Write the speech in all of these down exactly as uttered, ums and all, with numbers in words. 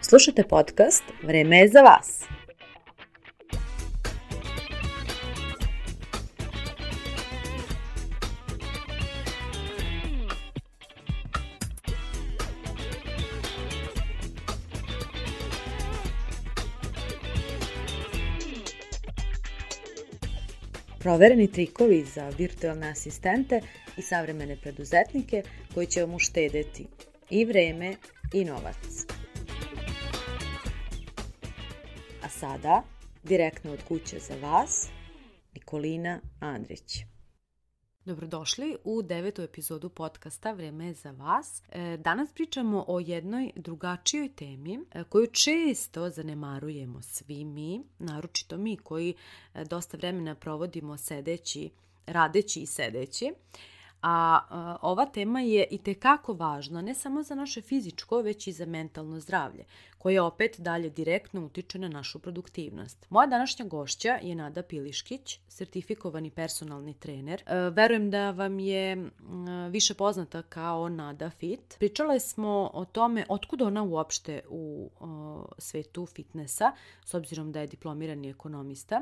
Slušajte podcast Vreme je za vas. Provereni trikovi za virtualne asistente i savremene preduzetnike koji će vam uštedeti i vreme i novac. A sada, direktno od kuće za vas, Nikolina Andrić. Dobrodošli u devetu epizodu podcasta Vreme je za vas. Danas pričamo o jednoj drugačijoj temi koju često zanemarujemo svi mi, naročito mi koji dosta vremena provodimo sedeći, radeći i sedeći. A, a ova tema je itekako važna ne samo za naše fizičko, već i za mentalno zdravlje, koje opet dalje direktno utiče na našu produktivnost. Moja današnja gošća je Nada Piliškić, sertifikovani personalni trener. E, verujem da vam je m, više poznata kao Nada Fit. Pričale smo o tome otkud ona uopšte u o, svetu fitnessa, s obzirom da je diplomirani ekonomista.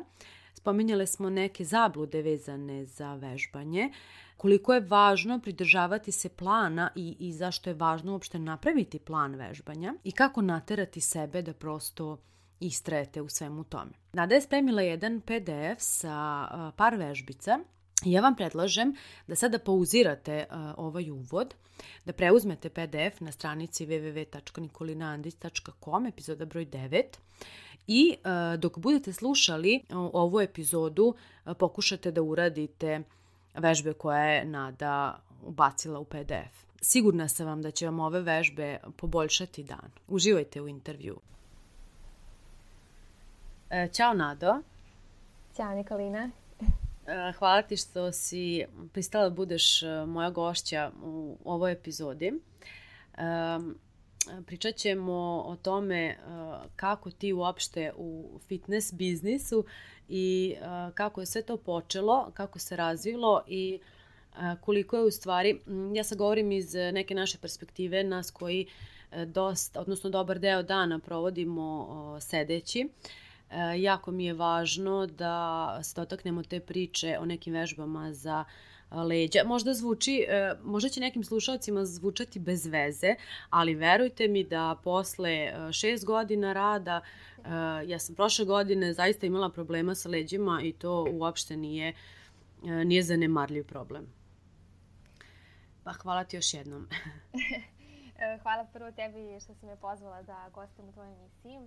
Spominjale smo neke zablude vezane za vežbanje, koliko je važno pridržavati se plana i, i zašto je važno uopšte napraviti plan vežbanja i kako naterati sebe da prosto istrajete u svemu tome. Nada je spremila jedan pe de ef sa uh, par vežbica i ja vam predlažem da sada pauzirate uh, ovaj uvod, da preuzmete pe de ef na stranici w w w tačka nikolina andrić tačka com, epizoda broj devet. I uh, dok budete slušali uh, ovu epizodu, uh, pokušate da uradite vežbe koje je Nada ubacila u pe de ef. Sigurna sam vam da će vam ove vežbe poboljšati dan. Uživajte u intervju. E, ćao Nado. Ćao Nikolina. E, hvala ti što si pristala da budeš moja gošća u ovoj epizodi. E, Pričat ćemo o tome kako ti uopšte u fitness biznisu i kako je sve to počelo, kako se razvilo i koliko je u stvari, ja sad govorim iz neke naše perspektive, nas koji dosta, odnosno dobar deo dana provodimo sedeći. Jako mi je važno da se dotaknemo te priče o nekim vežbama za leđa. Možda zvuči, možda će nekim slušalcima zvučati bez veze, ali verujte mi da posle šest godina rada, ja sam prošle godine zaista imala problema sa leđima i to uopšte nije, nije zanemarljiv problem. Pa hvala ti još jednom. Hvala prvo tebi što si me pozvala da gostim u tvojoj emisiji.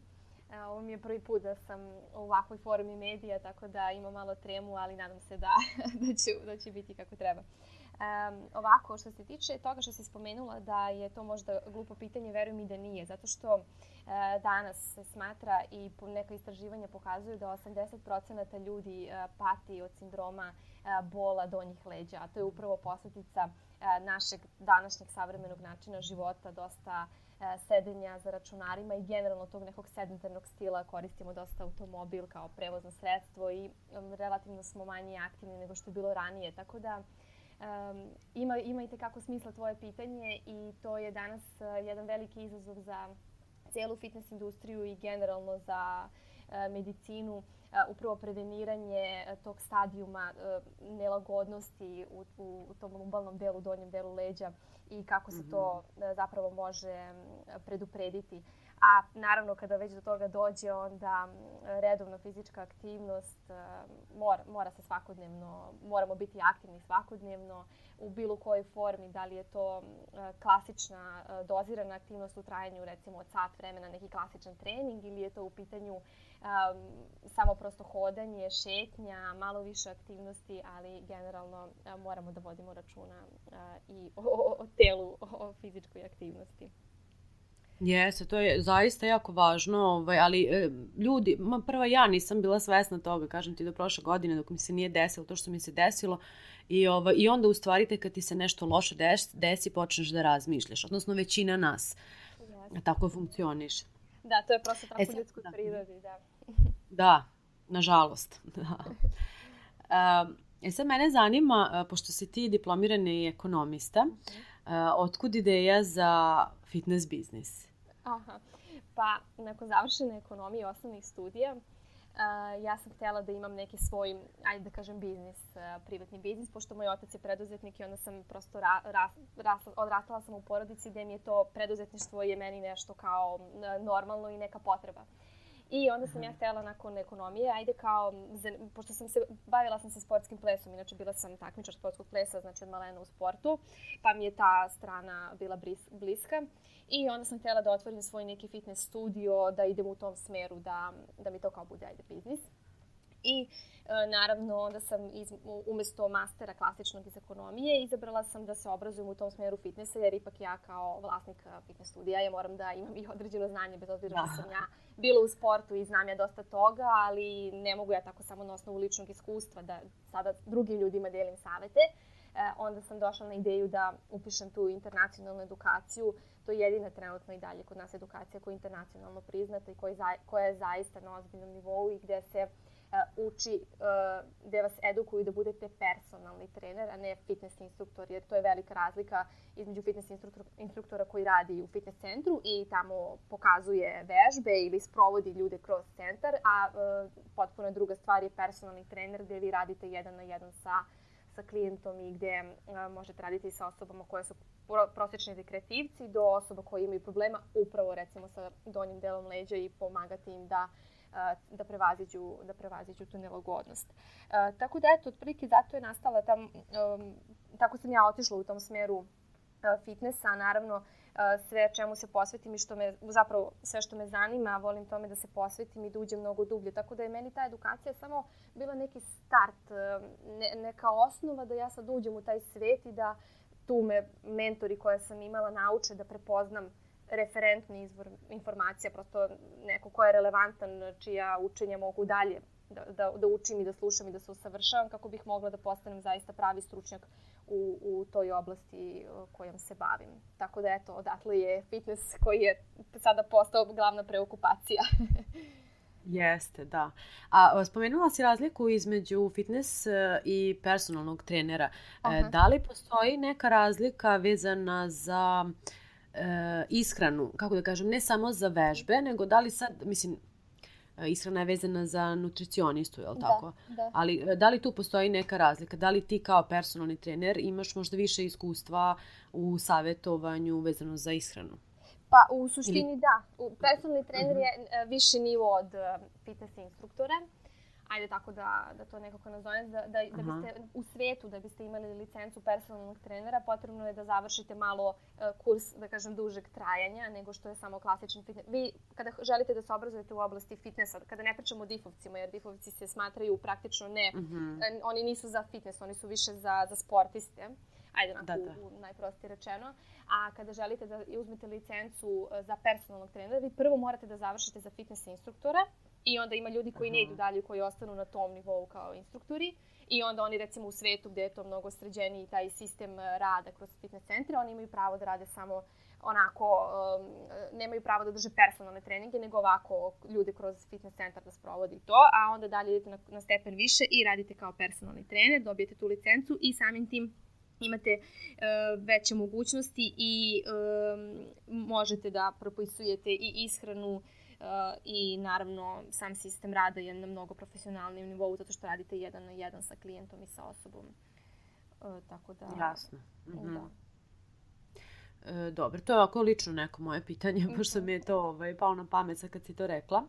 Ovo mi je prvi put da sam u ovakvoj formi medija, tako da imam malo tremu, ali nadam se da, da, će, da će biti kako treba. Um, ovako, što se tiče toga što si spomenula da je to možda glupo pitanje, verujem i da nije, zato što uh, danas se smatra i neka istraživanja pokazuju da osamdeset procenata ljudi uh, pati od sindroma uh, bola donjih leđa, a to je upravo posljedica uh, našeg današnjeg savremenog načina života, dosta sedenja za računarima i generalno tog nekog sedentarnog stila. Koristimo dosta automobil kao prevozno sredstvo i um, relativno smo manje aktivni nego što je bilo ranije. Tako da um, ima, ima i tekako smisla tvoje pitanje i to je danas uh, jedan veliki izazov za cijelu fitness industriju i generalno za uh, medicinu. Uh, upravo preveniranje uh, tog stadijuma uh, nelagodnosti u, u, u tom lumbalnom delu, donjem delu leđa i kako se to zapravo može preduprediti. A naravno kada već do toga dođe, onda redovna fizička aktivnost mora, mora se svakodnevno, moramo biti aktivni svakodnevno u bilo kojoj formi, da li je to klasična dozirana aktivnost u trajanju recimo od sat vremena, neki klasičan trening ili je to u pitanju um, samo prosto hodanje, šetnja, malo više aktivnosti, ali generalno uh, moramo da vodimo računa uh, i o, o, o telu, o, o fizičkoj aktivnosti. Jeste, to je zaista jako važno, ovaj, ali e, ljudi, ma prva ja nisam bila svesna toga, kažem ti do prošle godine dok mi se nije desilo to što mi se desilo i, ovaj, i onda u stvari te kad ti se nešto loše desi, desi počneš da razmišljaš, odnosno većina nas yes. tako funkcioniše. Da, to je prosto tako e, ljudskoj prirodi, da. Da, nažalost. Da. Um, e sad mene zanima, pošto si ti diplomirani ekonomista, uh, otkud ideja za fitness biznis? Aha, pa nakon završene ekonomije osnovnih studija, Uh, ja sam htjela da imam neki svoj, ajde da kažem, biznis, uh, privatni biznis, pošto moj otac je preduzetnik i onda sam prosto ra, ra, rasla, odrastala sam u porodici gdje mi je to preduzetništvo je meni nešto kao uh, normalno i neka potreba. I onda sam ja htjela nakon ekonomije, ajde kao, pošto sam se, bavila sam se sportskim plesom, inače bila sam takmičar sportskog plesa, znači od malena u sportu, pa mi je ta strana bila bliska. I onda sam htjela da otvorim svoj neki fitness studio, da idem u tom smeru, da, da mi to kao bude, ajde, biznis. I e, naravno onda sam iz, umjesto mastera klasičnog iz ekonomije izabrala sam da se obrazujem u tom smjeru fitnessa, jer ipak ja kao vlasnik fitness studija ja moram da imam i određeno znanje, bez obzira što sam ja bila u sportu i znam ja dosta toga, ali ne mogu ja tako samo na osnovu ličnog iskustva da sada drugim ljudima delim savete. E, onda sam došla na ideju da upišem tu internacionalnu edukaciju. To je jedina trenutno i dalje kod nas edukacija koja je internacionalno priznata i koja je, koja je zaista na ozbiljnom nivou i gdje se uh, uči, uh, gdje vas edukuju da budete personalni trener, a ne fitness instruktor, jer to je velika razlika između fitness instruktor, instruktora koji radi u fitness centru i tamo pokazuje vežbe ili sprovodi ljude kroz centar, a uh, potpuno druga stvar je personalni trener gdje vi radite jedan na jedan sa sa klijentom i gdje uh, možete raditi sa osobama koje su prosječni rekreativci do osoba koje imaju problema upravo recimo sa donjim delom leđa i pomagati im da, uh, da, prevaziđu, da prevaziđu tu nelagodnost. Uh, tako da eto, otprilike zato je nastala tam, um, tako sam ja otišla u tom smjeru uh, fitnessa, naravno uh, sve čemu se posvetim i što me, zapravo sve što me zanima, volim tome da se posvetim i da uđem mnogo dublje. Tako da je meni ta edukacija samo bila neki start, ne, neka osnova da ja sad uđem u taj svet i da tu me mentori koje sam imala nauče da prepoznam referentni izvor informacija, prosto neko ko je relevantan, čija učenja mogu dalje da, da, da učim i da slušam i da se usavršavam kako bih mogla da postanem zaista pravi stručnjak u, u toj oblasti kojom se bavim. Tako da eto, odatle je fitness koji je sada postao glavna preokupacija. Jeste, da. A spomenula si razliku između fitness i personalnog trenera. Aha. Da li postoji neka razlika vezana za e, ishranu, kako da kažem, ne samo za vežbe, nego da li sad, mislim, ishrana je vezana za nutricionistu, je li tako? Da, da. Ali da li tu postoji neka razlika? Da li ti kao personalni trener imaš možda više iskustva u savjetovanju vezano za ishranu? Pa u suštini da. Personalni trener je uh, viši nivo od uh, fitness instruktora. Ajde tako da, da to nekako nazovem. Da, da, da biste u svijetu, da biste imali licencu personalnog trenera, potrebno je da završite malo uh, kurs, da kažem, dužeg trajanja nego što je samo klasičan fitness. Vi kada želite da se obrazujete u oblasti fitnessa, kada ne pričamo o difovcima, jer difovci se smatraju praktično ne, uh-huh. uh, oni nisu za fitness, oni su više za, za sportiste. Ajde, onako, da, da. U, u najprostije rečeno. A kada želite da uzmete licencu za personalnog trenera, vi prvo morate da završite za fitness instruktora i onda ima ljudi koji Aha. ne idu dalje, koji ostanu na tom nivou kao instruktori i onda oni recimo u svetu gdje je to mnogo sređeniji taj sistem rada kroz fitness centre, oni imaju pravo da rade samo onako, um, nemaju pravo da drže personalne treninge, nego ovako ljude kroz fitness centar da sprovodi to, a onda dalje idete na, na stepen više i radite kao personalni trener, dobijete tu licencu i samim tim imate uh, veće mogućnosti i um, možete da propisujete i ishranu uh, i naravno sam sistem rada je na mnogo profesionalnijem nivou zato što radite jedan na jedan sa klijentom i sa osobom. Uh, tako da... Jasno. Mm-hmm. Da. E, dobro, to je ovako lično neko moje pitanje, mm-hmm. pošto mi je to ovaj, palo na pamet sad kad si to rekla.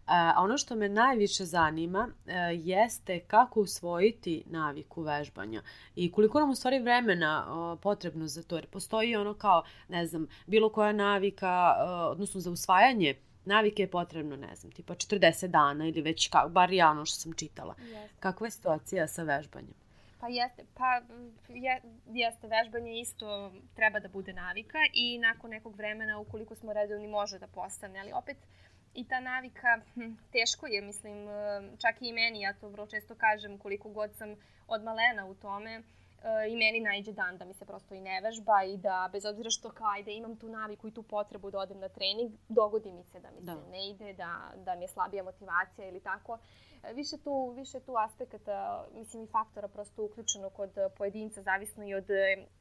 A ono što me najviše zanima e, jeste kako usvojiti naviku vežbanja i koliko nam u stvari vremena o, potrebno za to. Jer postoji ono kao, ne znam, bilo koja navika, o, odnosno za usvajanje navike je potrebno, ne znam, tipa četrdeset dana ili već, kao, bar ja ono što sam čitala. Jeste. Kakva je situacija sa vežbanjem? Pa jeste, pa je, jeste, vežbanje isto treba da bude navika i nakon nekog vremena, ukoliko smo redovni, može da postane, ali opet i ta navika, hm, teško je, mislim, čak i meni, ja to vrlo često kažem, koliko god sam od malena u tome, i meni naiđe dan da mi se prosto i ne vežba i da, bez obzira što kao, ajde, imam tu naviku i tu potrebu da odem na trening, dogodi mi se da mi da. se ne ide, da, da mi je slabija motivacija ili tako. Više tu, više tu aspekata, mislim i faktora prosto uključeno kod pojedinca, zavisno i od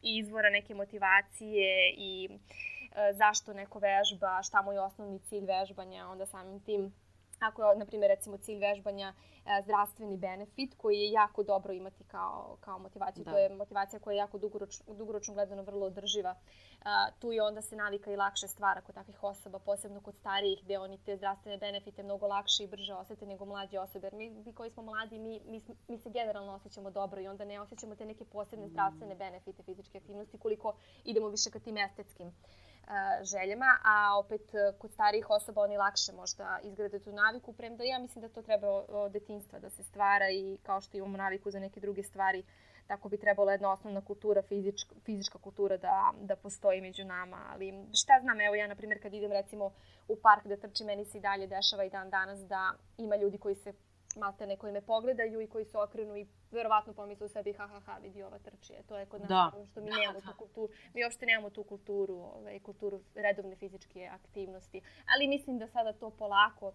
izvora neke motivacije i zašto neko vežba, šta mu je osnovni cilj vežbanja, onda samim tim ako je, na primjer, recimo cilj vežbanja e, zdravstveni benefit koji je jako dobro imati kao, kao motivaciju. Da. To je motivacija koja je jako dugoroč, dugoročno gledano vrlo održiva. E, tu je onda se navika i lakše stvara kod takvih osoba, posebno kod starijih, gde oni te zdravstvene benefite mnogo lakše i brže osjete nego mlađe osobe. Jer mi, mi koji smo mladi, mi, mi, mi se generalno osjećamo dobro i onda ne osjećamo te neke posebne zdravstvene benefite fizičke aktivnosti koliko idemo više ka tim estetskim željama, a opet kod starijih osoba oni lakše možda izgrade tu naviku, premda ja mislim da to treba od detinjstva da se stvara i kao što imamo naviku za neke druge stvari, tako bi trebala jedna osnovna kultura, fizička, fizička kultura da, da postoji među nama. Ali šta znam, evo ja na primjer kad idem recimo u park da trčim, meni se i dalje dešava i dan danas da ima ljudi koji se maltene koji me pogledaju i koji se okrenu i verovatno pomisle u sebi ha ha ha vidi ova trčije. To je kod nas da. Što mi da, nemamo da. tu kulturu. Mi uopšte nemamo tu kulturu, ovaj, kulturu redovne fizičke aktivnosti. Ali mislim da sada to polako,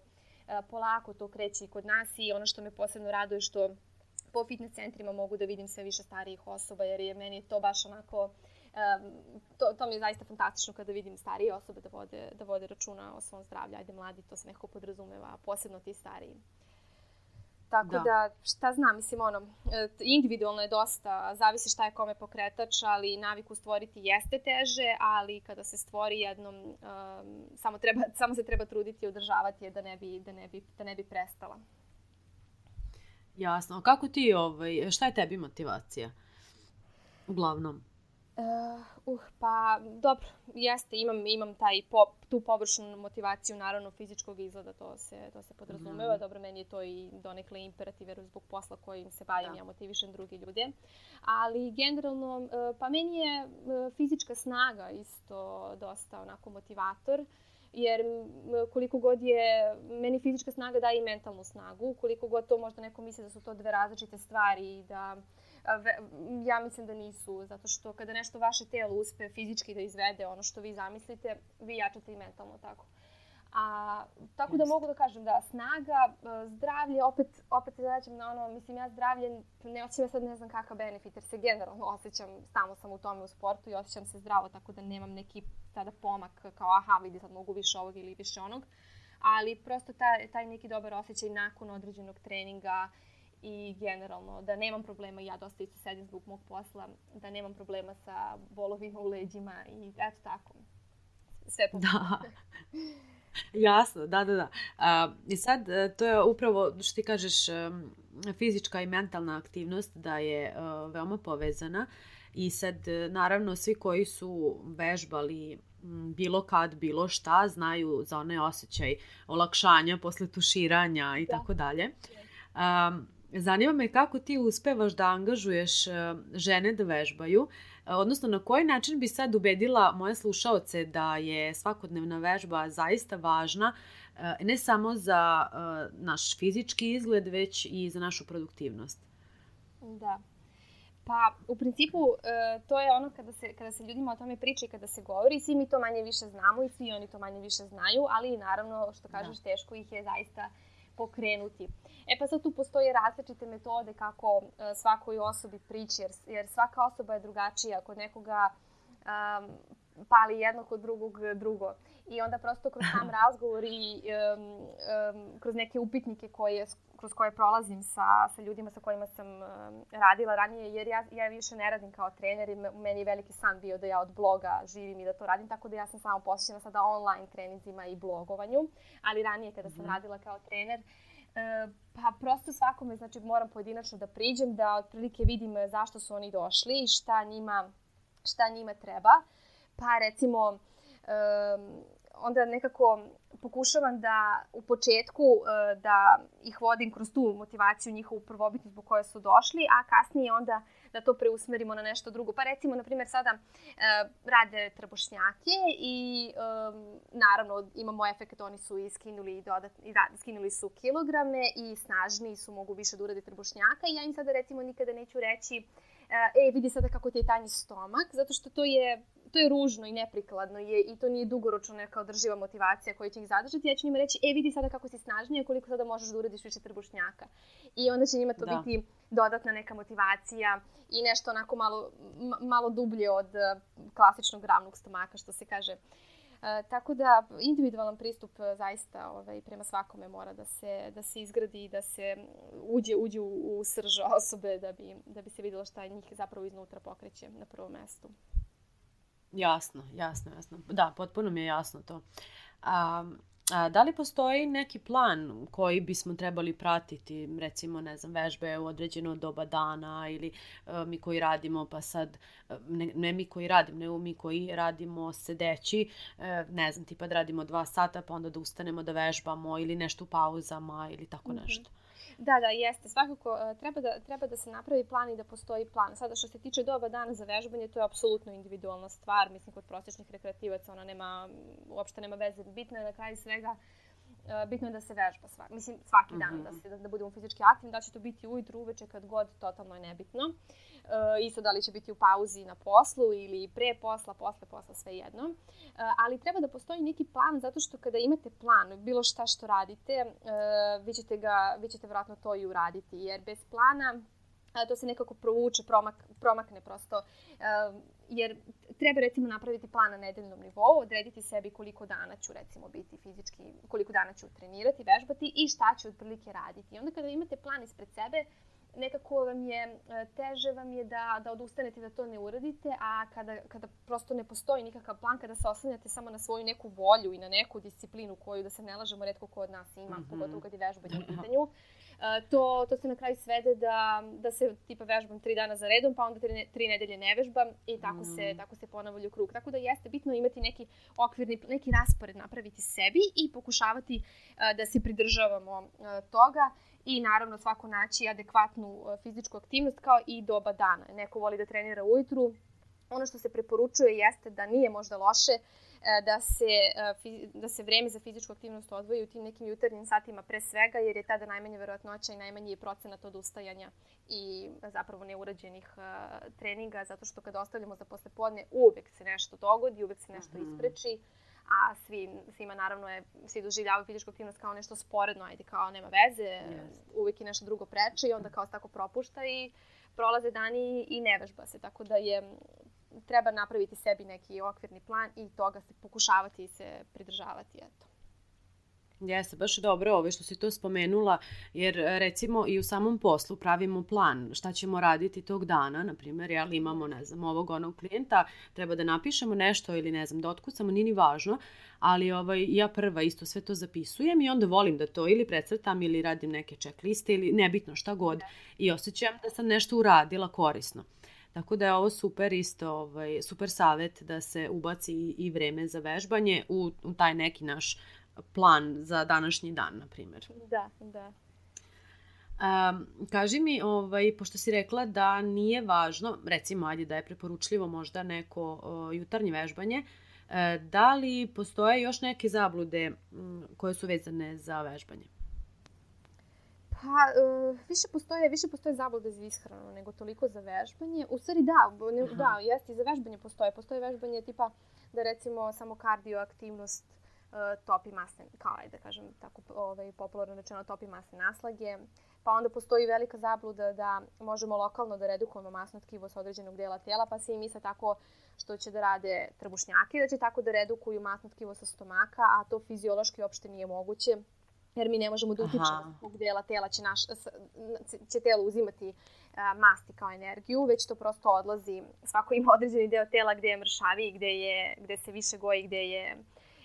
polako to kreće i kod nas i ono što me posebno raduje što po fitness centrima mogu da vidim sve više starijih osoba jer je meni to baš onako um, to, to mi je zaista fantastično kada vidim starije osobe da vode, da vode računa o svom zdravlju. Ajde mladi, to se nekako podrazumeva, posebno ti stariji. Tako da. da, šta znam, mislim, ono, individualno je dosta, zavisi šta je kome pokretač, ali naviku stvoriti jeste teže, ali kada se stvori jednom, um, samo, treba, samo se treba truditi i održavati je da ne bi, da ne bi, da ne bi prestala. Jasno. A kako ti, ovaj, šta je tebi motivacija? Uglavnom. Uh, uh, pa dobro, jeste, imam, imam taj po, tu površnu motivaciju, naravno fizičkog izgleda, to se, to se podrazumeva. Mm. Dobro, meni je to i donekle imperativ, jer zbog posla kojim se bavim, ja motivišem druge ljude. Ali generalno, uh, pa meni je uh, fizička snaga isto dosta onako motivator, jer koliko god je, meni fizička snaga daje i mentalnu snagu, koliko god to možda neko misli da su to dve različite stvari i da ja mislim da nisu, zato što kada nešto vaše telo uspe fizički da izvede ono što vi zamislite, vi jačate i mentalno tako. A, tako da mogu da kažem da snaga, zdravlje, opet, opet se vraćam na ono, mislim ja zdravlje, ne osjećam ja sad ne znam kakav benefit, jer se generalno osjećam, stalno sam u tome u sportu i osjećam se zdravo, tako da nemam neki tada pomak kao aha vidi sad mogu više ovog ili više onog, ali prosto taj, taj neki dobar osjećaj nakon određenog treninga i generalno da nemam problema, ja dosta isto sedim zbog mog posla, da nemam problema sa bolovima u leđima i eto tako, sve po da. Jasno, da, da, da. A, i sad, to je upravo, što ti kažeš, fizička i mentalna aktivnost da je uh, veoma povezana i sad, naravno, svi koji su vežbali bilo kad, bilo šta, znaju za onaj osjećaj olakšanja posle tuširanja i tako dalje. Zanima me kako ti uspevaš da angažuješ žene da vežbaju, odnosno na koji način bi sad ubedila moje slušaoce da je svakodnevna vežba zaista važna, ne samo za naš fizički izgled, već i za našu produktivnost. Da. Pa, u principu, to je ono kada se, kada se ljudima o tome priča i kada se govori, svi mi to manje više znamo i svi oni to manje više znaju, ali naravno, što kažeš, da. Teško ih je zaista pokrenuti. E pa sad tu postoje različite metode kako svakoj osobi prići, jer, jer svaka osoba je drugačija. Kod nekoga um, pali jedno, kod drugog drugo. I onda prosto kroz sam razgovor i um, um, kroz neke upitnike koje, kroz koje prolazim sa, sa ljudima sa kojima sam um, radila ranije, jer ja, ja više ne radim kao trener i meni je veliki san bio da ja od bloga živim i da to radim, tako da ja sam samo posvećena sada online treninzima i blogovanju, ali ranije kada sam mm. radila kao trener, uh, pa prosto svakome, znači moram pojedinačno da priđem, da otprilike vidim zašto su oni došli i šta njima, šta njima treba. Pa recimo, um, onda nekako pokušavam da u početku uh, da ih vodim kroz tu motivaciju njihovu prvobitnu zbog koje su došli, a kasnije onda da to preusmerimo na nešto drugo. Pa recimo, na primjer, sada uh, rade trbušnjake i um, naravno imamo efekt, oni su i skinuli, dodat, i rad, skinuli su kilograme i snažniji su, mogu više da urade trbušnjaka i ja im sada recimo nikada neću reći e, vidi sada kako ti je tanji stomak, zato što to je to je ružno i neprikladno je, i to nije dugoročno neka održiva motivacija koja će ih zadržati. Ja ću njima reći, e vidi sada kako si snažnija, koliko sada možeš da uradiš više trbušnjaka. I onda će njima to da. biti dodatna neka motivacija i nešto onako malo, malo dublje od klasičnog ravnog stomaka, što se kaže. E, tako da individualan pristup zaista ovaj, prema svakome mora da se, da se izgradi i da se uđe, uđe u, u srž osobe da bi, da bi se vidjelo šta njih zapravo iznutra pokreće na prvom mestu. Jasno, jasno, jasno. Da, potpuno mi je jasno to. A, a da li postoji neki plan koji bismo trebali pratiti, recimo, ne znam, vežbe u određeno doba dana ili a, mi koji radimo, pa sad, ne, ne mi koji radimo, nego mi koji radimo sedeći, a, ne znam, tipa da radimo dva sata, pa onda da ustanemo da vežbamo ili nešto u pauzama ili tako nešto. Mm-hmm. Da, da, jeste. Svakako treba da, treba da se napravi plan i da postoji plan. Sada što se tiče doba dana za vežbanje, to je apsolutno individualna stvar. Mislim, kod prosječnih rekreativaca ona nema, uopšte nema veze. Bitno je na kraju svega, bitno je da se vežba svaki, mislim, svaki dan, mm-hmm. da, se, da, da budemo fizički aktivni, da će to biti ujutru, uveče, kad god, totalno je nebitno. E, isto da li će biti u pauzi na poslu ili pre posla, posle posla, sve jedno. E, ali treba da postoji neki plan, zato što kada imate plan, bilo šta što radite, e, vi ćete ga, vi ćete vjerojatno to i uraditi, jer bez plana to se nekako provuče, promak, promakne prosto, uh, jer treba recimo napraviti plan na nedeljnom nivou, odrediti sebi koliko dana ću recimo biti fizički, koliko dana ću trenirati, vežbati i šta ću otprilike raditi. I onda kada imate plan ispred sebe, nekako vam je, teže vam je da, da odustanete da to ne uradite, a kada, kada prosto ne postoji nikakav plan, kada se oslanjate samo na svoju neku volju i na neku disciplinu koju, da se ne lažemo, retko ko od nas ima, mm-hmm. pogotovo kad je vežbanje u pitanju, to, to se na kraju svede da, da se tipa vežbam tri dana za redom, pa onda tri, tri nedelje ne vežbam i tako, mm. se, tako se ponavlja u krug. Tako da jeste bitno imati neki okvirni, neki raspored napraviti sebi i pokušavati da se pridržavamo toga. I naravno svako naći adekvatnu fizičku aktivnost kao i doba dana. Neko voli da trenira ujutru. Ono što se preporučuje jeste da nije možda loše da se, da se vreme za fizičku aktivnost odvoji u tim nekim jutarnjim satima pre svega, jer je tada najmanja verovatnoća i najmanji je procenat odustajanja i zapravo neurađenih treninga, zato što kada ostavljamo za poslepodne uvek se nešto dogodi, uvek se nešto ispreči. A svi, svima naravno je, svi doživljavaju fizičku aktivnost kao nešto sporedno, ajde kao nema veze, yes. uvijek je nešto drugo preče i onda kao se tako propušta i prolaze dani i ne vežba se, tako da je, treba napraviti sebi neki okvirni plan i toga se pokušavati i se pridržavati, eto. Jeste, baš je dobro ovo što si to spomenula, jer recimo i u samom poslu pravimo plan šta ćemo raditi tog dana, na primjer, jel imamo, ne znam, ovog onog klijenta, treba da napišemo nešto ili ne znam, da otkucamo, nije ni važno, ali ovaj, ja prva isto sve to zapisujem i onda volim da to ili precrtam ili radim neke checkliste ili nebitno šta god i osjećam da sam nešto uradila korisno. Tako da je ovo super isto, ovaj, super savjet da se ubaci i vreme za vežbanje u, u taj neki naš plan za današnji dan, na primjer. Da, da. Um, kaži mi, ovaj, pošto si rekla da nije važno, recimo, ajde da je preporučljivo možda neko uh, jutarnje vežbanje, uh, da li postoje još neke zablude um, koje su vezane za vežbanje? Pa, uh, više postoje, više postoje zablude za ishranu nego toliko za vežbanje. U stvari da, ne, da, jeste, i za vežbanje postoje. Postoje vežbanje tipa da recimo samo kardioaktivnost uh, topi masne, kao ajde da kažem tako ovaj, popularno rečeno topi masne naslage. Pa onda postoji velika zabluda da možemo lokalno da redukujemo masno tkivo sa određenog dela tela, pa se i misle tako što će da rade trbušnjaki, da će tako da redukuju masno tkivo sa stomaka, a to fiziološki uopšte nije moguće. Jer mi ne možemo da utičemo s kog dela tela će, naš, će telo uzimati a, masti kao energiju, već to prosto odlazi. Svako ima određeni deo tela gde je mršaviji, gde, je, gde se više goji, gde je,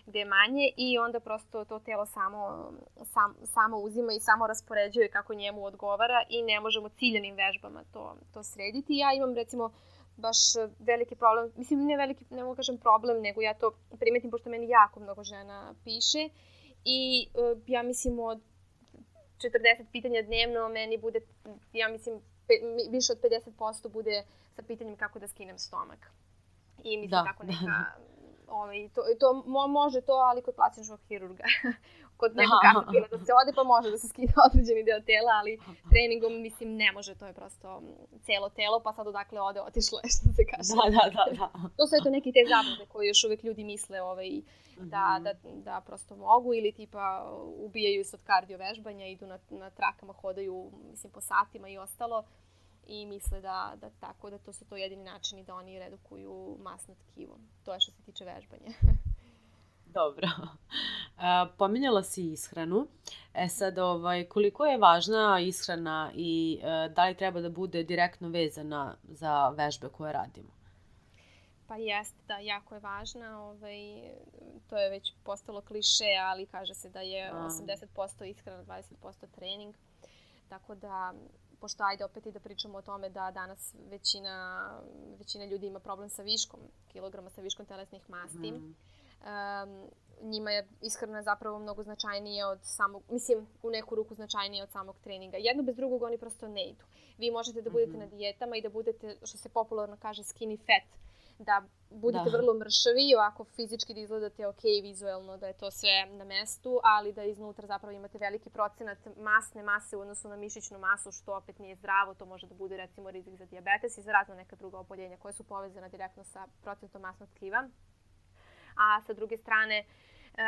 gde je manje i onda prosto to telo samo, sam, samo uzima i samo raspoređuje kako njemu odgovara i ne možemo ciljanim vežbama to, to srediti. Ja imam recimo baš veliki problem, mislim ne veliki, ne mogu kažem problem, nego ja to primetim pošto meni jako mnogo žena piše. I uh, ja mislim od četrdeset pitanja dnevno meni bude, ja mislim, pe, više od pedeset posto bude sa pitanjem kako da skinem stomak. I mislim da, tako neka ovaj, to, to mo, može to, ali kod plastičnog hirurga. Kod nekog katapila da se ode, pa može da se skine određeni deo tela, ali treningom, mislim, ne može, to je prosto celo telo, pa sad odakle ode, otišlo je, što se kaže. Da, da, da, da. To su eto neki te zablude koje još uvek ljudi misle ovaj, da, da, da prosto mogu, ili tipa ubijaju se od kardio vežbanja, idu na, na trakama, hodaju, mislim, po satima i ostalo, i misle da, da tako, da to su to jedini načini da oni redukuju masno tkivo. To je što se tiče vežbanja. Dobro. E, pominjala si ishranu. E sad, ovaj, koliko je važna ishrana i e, da li treba da bude direktno vezana za vežbe koje radimo? Pa jeste, da, jako je važna. Ovaj, to je već postalo kliše, ali kaže se da je osamdeset posto ishrana, dvadeset posto trening. Tako da, pošto ajde opet i da pričamo o tome da danas većina, većina ljudi ima problem sa viškom kilograma, sa viškom telesnih masti. Mm. Um, njima je ishrana zapravo mnogo značajnija od samog, mislim, u neku ruku značajnija od samog treninga. Jedno bez drugog oni prosto ne idu. Vi možete da budete mm-hmm. na dijetama i da budete, što se popularno kaže, skinny fat, da budete da. vrlo mršavi i ovako fizički da izgledate ok, vizuelno, da je to sve na mestu, ali da iznutra zapravo imate veliki procenat masne mase u odnosu na mišićnu masu, što opet nije zdravo. To može da bude recimo rizik za dijabetes i za razna neka druga oboljenja koje su povezana direktno sa procentom masnog tkiva. A sa druge strane, uh,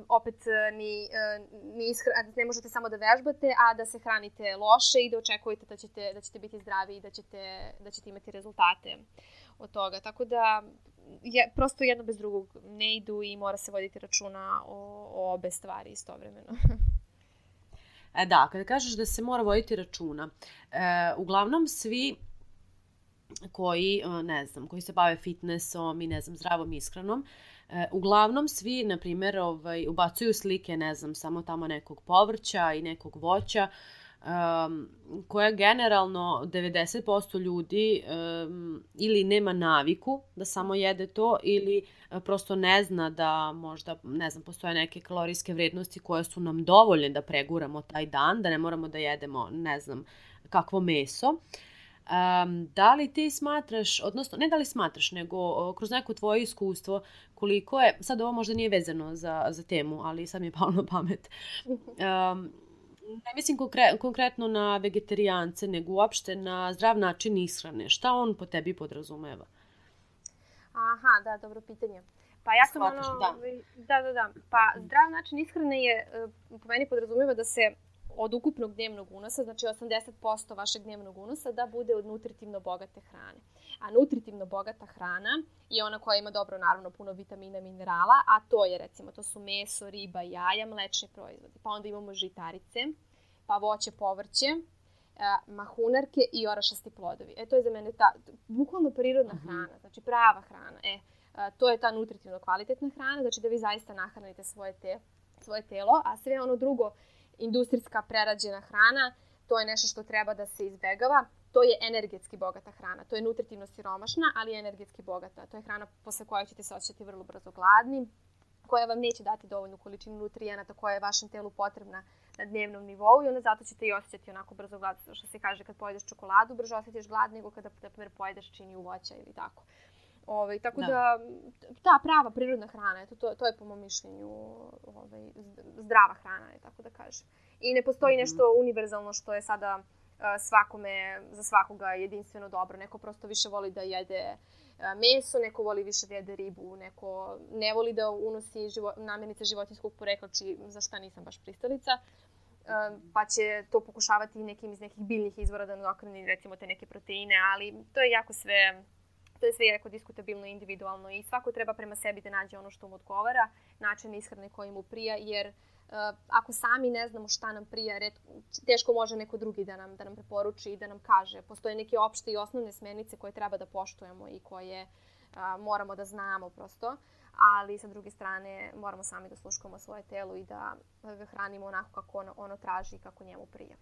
opet ni, uh, ni ishra, ne možete samo da vežbate, a da se hranite loše i da očekujete da ćete, da ćete biti zdravi i da ćete, da ćete imati rezultate od toga. Tako da je, prosto jedno bez drugog ne idu i mora se voditi računa o, o obe stvari istovremeno. E da, kada kažeš da se mora voditi računa, e, uglavnom svi koji, ne znam, koji se bave fitnessom i, ne znam, zdravom ishranom, e, uglavnom svi, na primjer, ovaj, ubacuju slike, ne znam, samo tamo nekog povrća i nekog voća, um, koja generalno devedeset posto ljudi um, ili nema naviku da samo jede to, ili uh, prosto ne zna da možda, ne znam, postoje neke kalorijske vrednosti koje su nam dovoljne da preguramo taj dan, da ne moramo da jedemo, ne znam, kakvo meso. Um, da li ti smatraš, odnosno ne da li smatraš, nego o, kroz neko tvoje iskustvo, koliko je, sad ovo možda nije vezano za, za temu, ali sad mi je palo na pamet, um, ne mislim konkre, konkretno na vegetarijance, nego uopšte na zdrav način ishrane. Šta on po tebi podrazumeva? Aha, da, dobro pitanje. Pa ja sam Shvataš, ono... da. da, da, da. Pa zdrav način ishrane je, po meni podrazumeva da se od ukupnog dnevnog unosa, znači osamdeset posto vašeg dnevnog unosa, da bude od nutritivno bogate hrane. A nutritivno bogata hrana je ona koja ima dobro, naravno, puno vitamina, minerala, a to je, recimo, to su meso, riba, jaja, mlečni proizvodi. Pa onda imamo žitarice, pa voće, povrće, mahunarke i orašasti plodovi. E, to je za mene ta, bukvalno prirodna uh-huh. hrana, znači prava hrana. E, to je ta nutritivno kvalitetna hrana, znači da vi zaista nahranite svoje, te, svoje telo, a sve ono drugo, industrijska prerađena hrana, to je nešto što treba da se izbegava. To je energetski bogata hrana. To je nutritivno siromašna, ali energetski bogata. To je hrana posle koje ćete se osjećati vrlo brzo gladni, koja vam neće dati dovoljnu količinu nutrijenata koja je vašem telu potrebna na dnevnom nivou i onda zato ćete i osjećati onako brzo glad. Što se kaže, kad pojedeš čokoladu, brzo osjetiš glad nego kada, na primjer, pojedeš činiju voća ili tako. Ove, tako da. da, ta prava prirodna hrana, eto, to, to je po mom mišljenju ove, zdrava hrana, je, tako da kažem. I ne postoji mm-hmm. nešto univerzalno što je sada uh, svakome, za svakoga jedinstveno dobro. Neko prosto više voli da jede uh, meso, neko voli više da jede ribu, neko ne voli da unosi živo, namirnice životinjskog porekla, či za šta nisam baš pristalica. Uh, pa će to pokušavati nekim iz nekih biljnih izvora da nadokreni, recimo, te neke proteine, ali to je jako sve... To je sve jako diskutabilno i individualno i svako treba prema sebi da nađe ono što mu odgovara, način ishrane koji mu prija, jer uh, ako sami ne znamo šta nam prija, red, teško može neko drugi da nam, da nam preporuči i da nam kaže. Postoje neke opšte i osnovne smernice koje treba da poštujemo i koje uh, moramo da znamo prosto, ali sa druge strane moramo sami da sluškamo svoje telo i da ga hranimo onako kako ono, ono traži i kako njemu prija.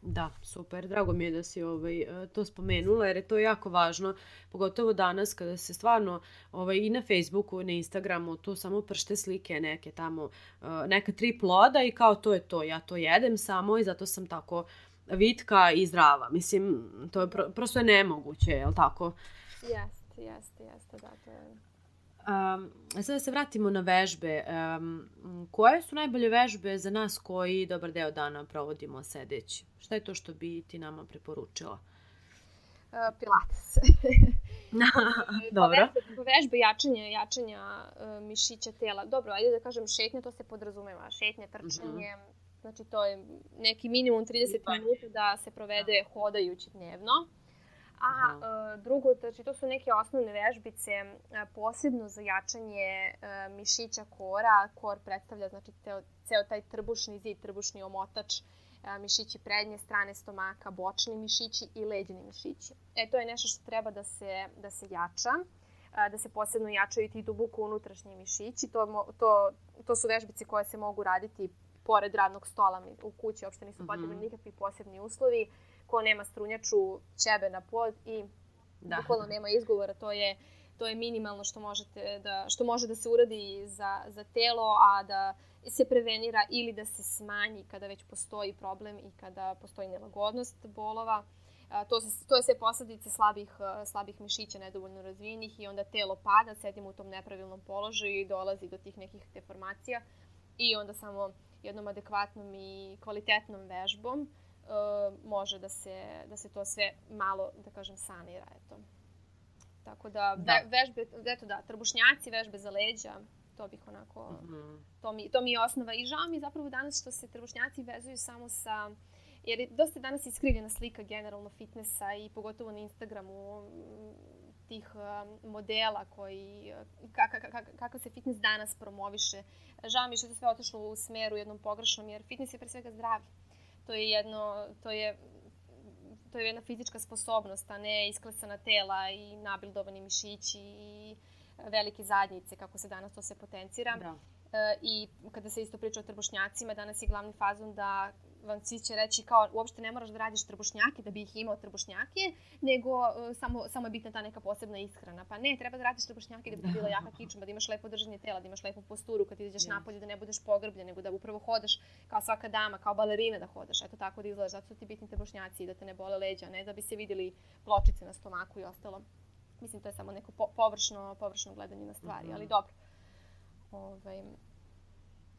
Da, super. Drago mi je da si ovaj, to spomenula, jer je to jako važno, pogotovo danas kada se stvarno ovaj, i na Facebooku i na Instagramu tu samo pršte slike neke tamo, neka tri ploda i kao to je to. Ja to jedem samo i zato sam tako vitka i zdrava. Mislim, to je pro, prosto je nemoguće, je li tako? Jeste, jeste, jeste, da, to je... Um, sada se vratimo na vežbe. Um, koje su najbolje vežbe za nas koji dobar deo dana provodimo sedeći? Šta je to što bi ti nama preporučila? Uh, Pilates. Dobro. Vežbe, vežbe jačanja, jačanja uh, mišića tela. Dobro, ajde da kažem šetnja, to se podrazumeva. Šetnje, trčanje, mm-hmm. znači to je neki minimum trideset minuta da se provede hodajući dnevno. A uh, drugo, znači to su neke osnovne vežbice, uh, posebno za jačanje uh, mišića kora. Kor predstavlja znači teo, ceo taj trbušni zid, trbušni omotač, uh, mišići prednje strane stomaka, bočni mišići i leđni mišići. E, to je nešto što treba da se, da se jača, uh, da se posebno jačaju ti duboko unutrašnji mišići. To, to, to su vežbice koje se mogu raditi pored radnog stola u kući, uopšte nisu potrebni mm-hmm. nikakvi posebni uslovi. Ko nema strunjaču, ćebe na pod i da. Bukvalno nema izgovora, to je, to je minimalno što, možete da, što može da se uradi za, za telo, a da se prevenira ili da se smanji kada već postoji problem i kada postoji nelagodnost bolova. A, to, se, to je sve posledice slabih, slabih mišića, nedovoljno razvijenih i onda telo pada, sedimo u tom nepravilnom položaju i dolazi do tih nekih deformacija i onda samo jednom adekvatnom i kvalitetnom vežbom Uh, može da se, da se to sve malo, da kažem, sanira. Eto. Tako da, da. Ve, vežbe, eto da, trbušnjaci, vežbe za leđa, to bih onako, mm-hmm. to, mi, to mi je osnova. I žao mi zapravo danas što se trbušnjaci vezuju samo sa, jer je dosta danas iskrivljena slika generalno fitnessa i pogotovo na Instagramu tih uh, modela koji, kakav kak, kak, se fitness danas promoviše. Žao mi što se sve otišlo u smeru jednom pogrešnom, jer fitness je pre svega zdravlje. To je jedno, to je, to je jedna fizička sposobnost, a ne isklesana tela i nabildovani mišići i velike zadnjice, kako se danas to se potencira. Da. E, I kada se isto priča o trbušnjacima, danas je glavni fazon da vam svi će reći kao uopšte ne moraš da radiš trbušnjake da bi ih imao trbušnjake, nego uh, samo, samo je bitna ta neka posebna ishrana. Pa ne, treba da radiš trbušnjake da bi bila jaka kičma, da imaš lepo držanje tela, da imaš lepu posturu kad izađeš yes. napolje, da ne budeš pogrbljen, nego da upravo hodaš kao svaka dama, kao balerina da hodaš. Eto tako da izgledaš, zato su ti bitni trbušnjaci i da te ne bole leđa, ne da bi se vidjeli pločice na stomaku i ostalo. Mislim, to je samo neko po, površno, površno gledanje na stvari, mm-hmm. ali dobro. Ovaj...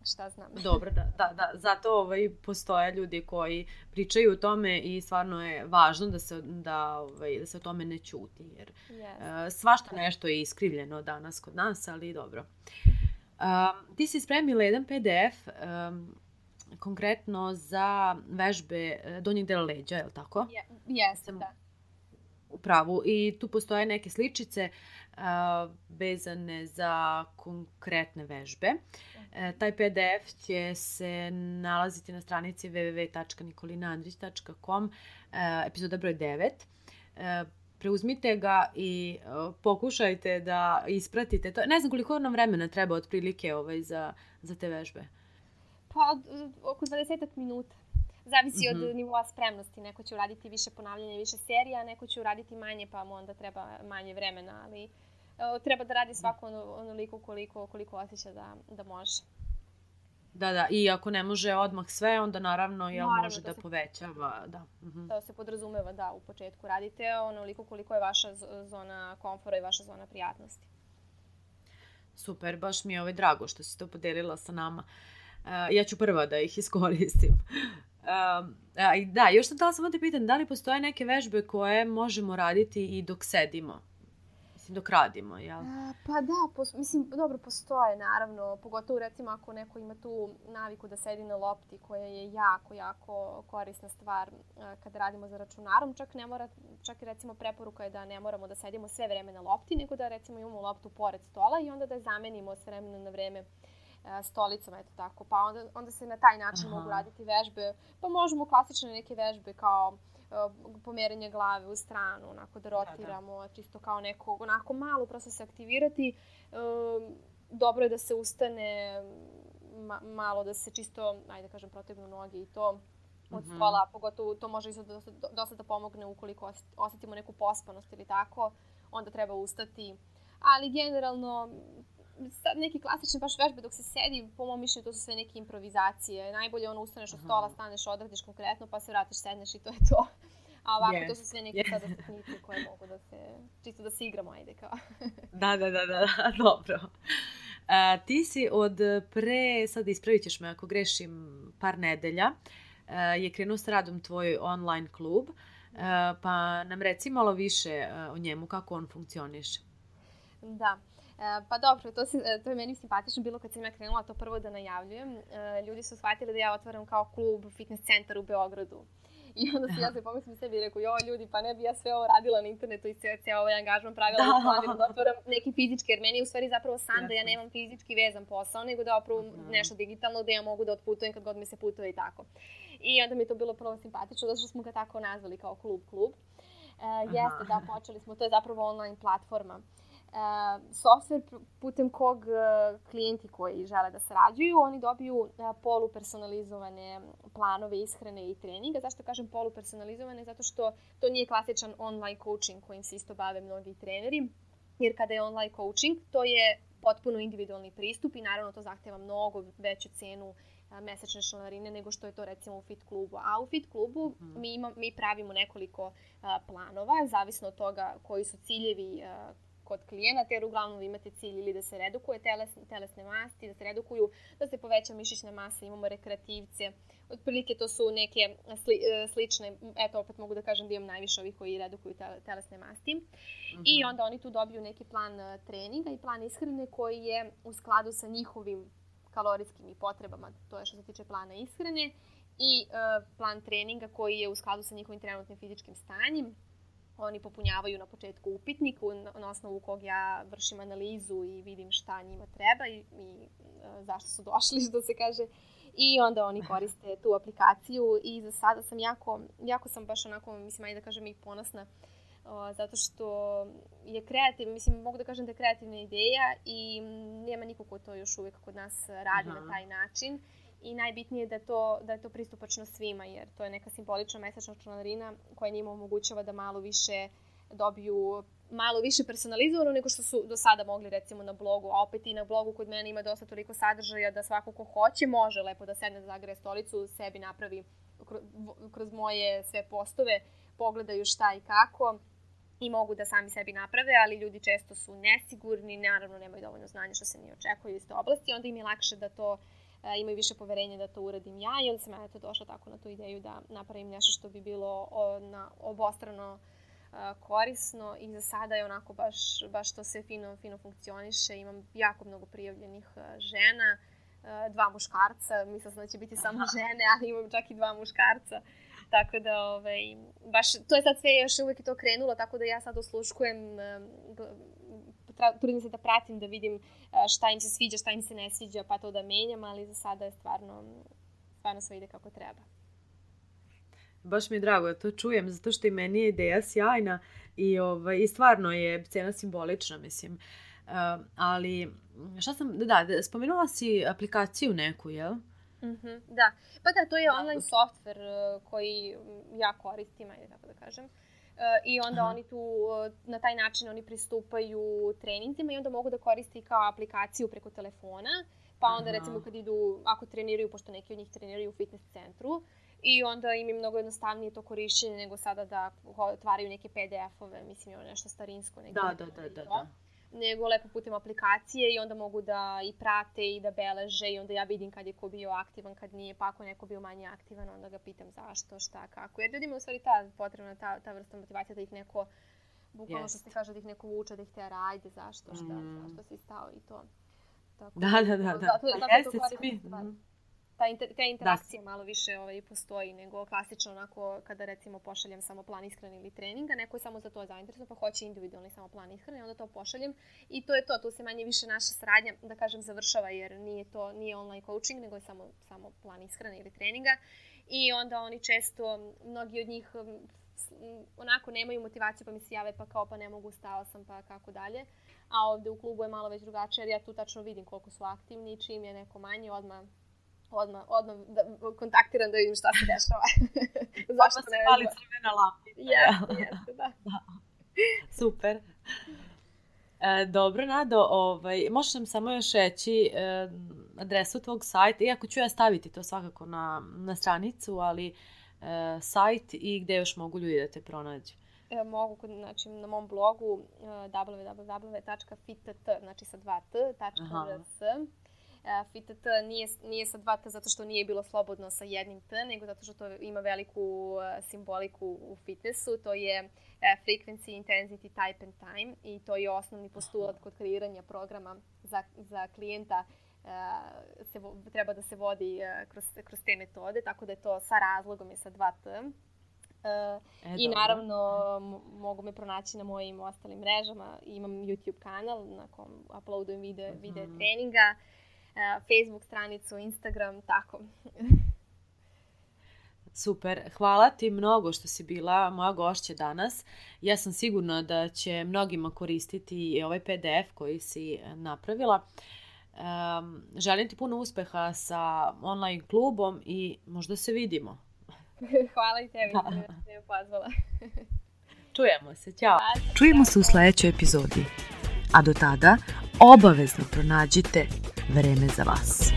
šta znam. Dobro, da, da, da. Zato ovaj, postoje ljudi koji pričaju o tome i stvarno je važno da se, da, ovaj, da se o tome ne ćuti. Jer yes. uh, svašta nešto je iskrivljeno danas kod nas, ali dobro. Uh, ti si spremila jedan P D F um, konkretno za vežbe donjeg dela leđa, je li tako? Jeste, yes, da. U pravu. I tu postoje neke sličice uh, vezane za konkretne vežbe. Uh, taj P D F će se nalaziti na stranici w w w tačka nikolina andrić tačka com, uh, epizoda broj devet. Uh, preuzmite ga i uh, pokušajte da ispratite to. Ne znam koliko nam vremena treba otprilike ovaj, za, za te vežbe. Pa oko dvadeset minuta. Zavisi mm-hmm. od nivoa spremnosti. Neko će uraditi više ponavljanja, više serija, neko će uraditi manje, pa mu onda treba manje vremena, ali uh, treba da radi svako ono, onoliko koliko, koliko osjeća da, da može. Da, da. I ako ne može odmah sve, onda naravno, jel, naravno može da, da se, povećava. Da. Mm-hmm. To se podrazumeva da u početku radite onoliko koliko je vaša zona komfora i vaša zona prijatnosti. Super, baš mi je ovaj drago što si to podelila sa nama. Uh, ja ću prva da ih iskoristim. Um, a, da, još sam htjela samo te pitam, da li postoje neke vežbe koje možemo raditi i dok sedimo? Mislim, dok radimo, jel? A, pa da, pos, mislim, dobro, postoje, naravno. Pogotovo, recimo, ako neko ima tu naviku da sedi na lopti, koja je jako, jako korisna stvar a, kada radimo za računarom. Čak ne mora, čak i recimo preporuka je da ne moramo da sedimo sve vreme na lopti, nego da recimo imamo loptu pored stola i onda da je zamenimo s vremena na vreme stolicama, eto tako. Pa onda, onda se na taj način Aha. mogu raditi vežbe. Pa možemo klasične neke vežbe kao uh, pomeranje glave u stranu, onako da rotiramo, da, da. čisto kao neko, onako malo prosto se aktivirati. Uh, dobro je da se ustane, ma, malo da se čisto, ajde kažem, protegnu noge i to od uh-huh. stola. Pogotovo to može isto dosta, dosta da pomogne ukoliko osjetimo neku pospanost ili tako. Onda treba ustati. Ali generalno sad neki klasični baš vežbe dok se sedi, po mom mišljenju to su sve neke improvizacije. Najbolje ono ustaneš od stola, staneš, odradiš konkretno, pa se vratiš, sedneš i to je to. A ovako yes. to su sve neke yes. sada sitnice koje mogu da se, čisto da se igramo, ajde kao. da, da, da, da, dobro. A, ti si od pre, sad ispravit ćeš me ako grešim, par nedelja, a, je krenuo s radom tvoj online klub, a, pa nam reci malo više o njemu, kako on funkcioniše. Da. Pa dobro, to, si, to je meni simpatično bilo kad sam ja krenula to prvo da najavljujem. Ljudi su shvatili da ja otvaram kao klub fitness centar u Beogradu. I onda se ja se pomislim sebi i rekao, joj ljudi, pa ne bi ja sve ovo radila na internetu i sve, sve ovaj angažman pravila da, da otvaram neki fizički, jer meni je u stvari zapravo san da ja nemam fizički vezan posao, nego da opravu nešto digitalno gde ja mogu da otputujem kad god mi se putuje i tako. I onda mi je to bilo prvo simpatično, zato što smo ga tako nazvali kao klub klub. Uh, jeste, da, počeli smo, to je zapravo online platforma. Uh, software putem kog uh, klijenti koji žele da sarađuju, oni dobiju uh, polupersonalizovane planove ishrane i treninga. Zašto kažem polupersonalizovane? Zato što to nije klasičan online coaching kojim se isto bave mnogi treneri, jer kada je online coaching, to je potpuno individualni pristup i naravno to zahteva mnogo veću cenu uh, mesečne članarine nego što je to recimo u fit klubu. A u fit klubu mm-hmm. mi, ima, mi pravimo nekoliko uh, planova, zavisno od toga koji su ciljevi uh, kod klijenata, jer uglavnom vi imate cilj ili da se redukuje teles, telesne masti, da se redukuju, da se poveća mišićna masa, imamo rekreativce. Otprilike to su neke sli, slične, eto opet mogu da kažem da imam najviše ovih koji redukuju telesne masti. Mm-hmm. I onda oni tu dobiju neki plan treninga i plan ishrane koji je u skladu sa njihovim kalorijskim i potrebama, to je što se tiče plana ishrane, i uh, plan treninga koji je u skladu sa njihovim trenutnim fizičkim stanjem. Oni popunjavaju na početku upitnik na osnovu kog ja vršim analizu i vidim šta njima treba i, i e, zašto su došli, što se kaže. I onda oni koriste tu aplikaciju i za sada sam jako, jako sam baš onako, mislim, ajde da kažem i ponosna, o, zato što je kreativna, mislim, mogu da kažem da je kreativna ideja i nema niko ko to još uvijek kod nas radi Aha. na taj način. I najbitnije je da, to, da je to pristupačno svima, jer to je neka simbolična mesečna članarina koja njima omogućava da malo više dobiju, malo više personalizovano nego što su do sada mogli recimo na blogu. A opet i na blogu kod mene ima dosta toliko sadržaja da svako ko hoće može lepo da sedne, da zagreje stolicu, sebi napravi kroz moje sve postove, pogledaju šta i kako i mogu da sami sebi naprave, ali ljudi često su nesigurni, naravno nemaju dovoljno znanja što se nije očekuje iz te oblasti, onda im je lakše da to imaju više poverenja da to uradim ja i onda sam ja to došla tako na tu ideju da napravim nešto što bi bilo o, na, obostrano a, korisno i za sada je onako baš, baš to sve fino, fino funkcioniše. Imam jako mnogo prijavljenih a, žena, a, dva muškarca, mislila sam da će biti samo žene, ali imam čak i dva muškarca. Tako da, ovaj, baš, to je sad sve još uvijek to krenulo, tako da ja sad osluškujem, trudim se da pratim, da vidim šta im se sviđa, šta im se ne sviđa, pa to da menjam, ali za sada je stvarno, stvarno sve ide kako treba. Baš mi je drago da to čujem, zato što i meni je ideja sjajna i, ovaj, i stvarno je cena simbolična, mislim. Uh, ali, šta sam, da, da, spomenula si aplikaciju neku, jel? Mm-hmm, da, pa da, to je online software koji ja koristim, ajde tako da kažem. Uh, I onda Aha. oni tu, uh, na taj način oni pristupaju treninzima i onda mogu da koriste kao aplikaciju preko telefona, pa onda Aha. recimo kad idu, ako treniraju, pošto neki od njih treniraju u fitness centru, i onda im je mnogo jednostavnije to korišćenje nego sada da otvaraju neke pe de efove, mislim je nešto starinsko. Neki da, da, da, da, da. Nego lepo putem aplikacije i onda mogu da i prate i da beleže i onda ja vidim kad je ko bio aktivan, kad nije, pa ako neko bio manje aktivan, onda ga pitam zašto, šta, kako. Jer ljudima u stvari ta potrebna, ta, ta vrsta motivacija da ih neko, bukvalno što se kaže, da ih neko vuče, da ih tera, ajde, zašto, šta, mm. zašto si stao i to. Tako, da, da, da. da. Zato, zato je to korisno. Ta, inter, ta interakcija da. malo više ovaj, postoji nego klasično onako kada recimo pošaljem samo plan ishrane ili treninga, neko je samo za to zainteresovan pa hoće individualni samo plan ishrane, onda to pošaljem i to je to, tu se manje više naša saradnja, da kažem, završava jer nije to nije online coaching, nego je samo, samo plan ishrane ili treninga i onda oni često, mnogi od njih onako nemaju motivaciju pa mi se jave pa kao pa ne mogu, stao sam pa kako dalje, a ovde u klubu je malo već drugačije jer ja tu tačno vidim koliko su aktivni i čim je neko manje odmah Odmah, odmah da kontaktiram da vidim šta se dešava. Zašto se pali crvena lampica. Jeste, jeste, da. da. Super. E, dobro, Nado, ovaj, možeš nam samo još reći e, adresu tvog sajta, iako ću ja staviti to svakako na, na stranicu, ali e, sajt i gde još mogu ljudi da te pronađu? E, mogu, znači na mom blogu uh, w w w tačka fitt, znači sa dva t, tačka r s. Uh, Fitt nije, nije sa dva t zato što nije bilo slobodno sa jednim t, nego zato što to ima veliku uh, simboliku u fitnessu. To je uh, frequency, intensity, type and time i to je osnovni postulat kod kreiranja programa za, za klijenta. Uh, se, treba da se vodi uh, kroz, kroz te metode, tako da je to sa razlogom je sa dva t. Uh, e, I naravno mogu me pronaći na mojim ostalim mrežama. Imam YouTube kanal na kom uploadujem video, mm-hmm. video treninga, uh, Facebook stranicu, Instagram, tako. Super, hvala ti mnogo što si bila moja gošća danas. Ja sam sigurna da će mnogima koristiti i ovaj P D F koji si napravila. Um, želim ti puno uspeha sa online klubom i možda se vidimo. Hvala i tebi što mi je pozvala. Čujemo se, ćao. Čujemo se u sljedećoj epizodi. A do tada obavezno pronađite vreme za vas.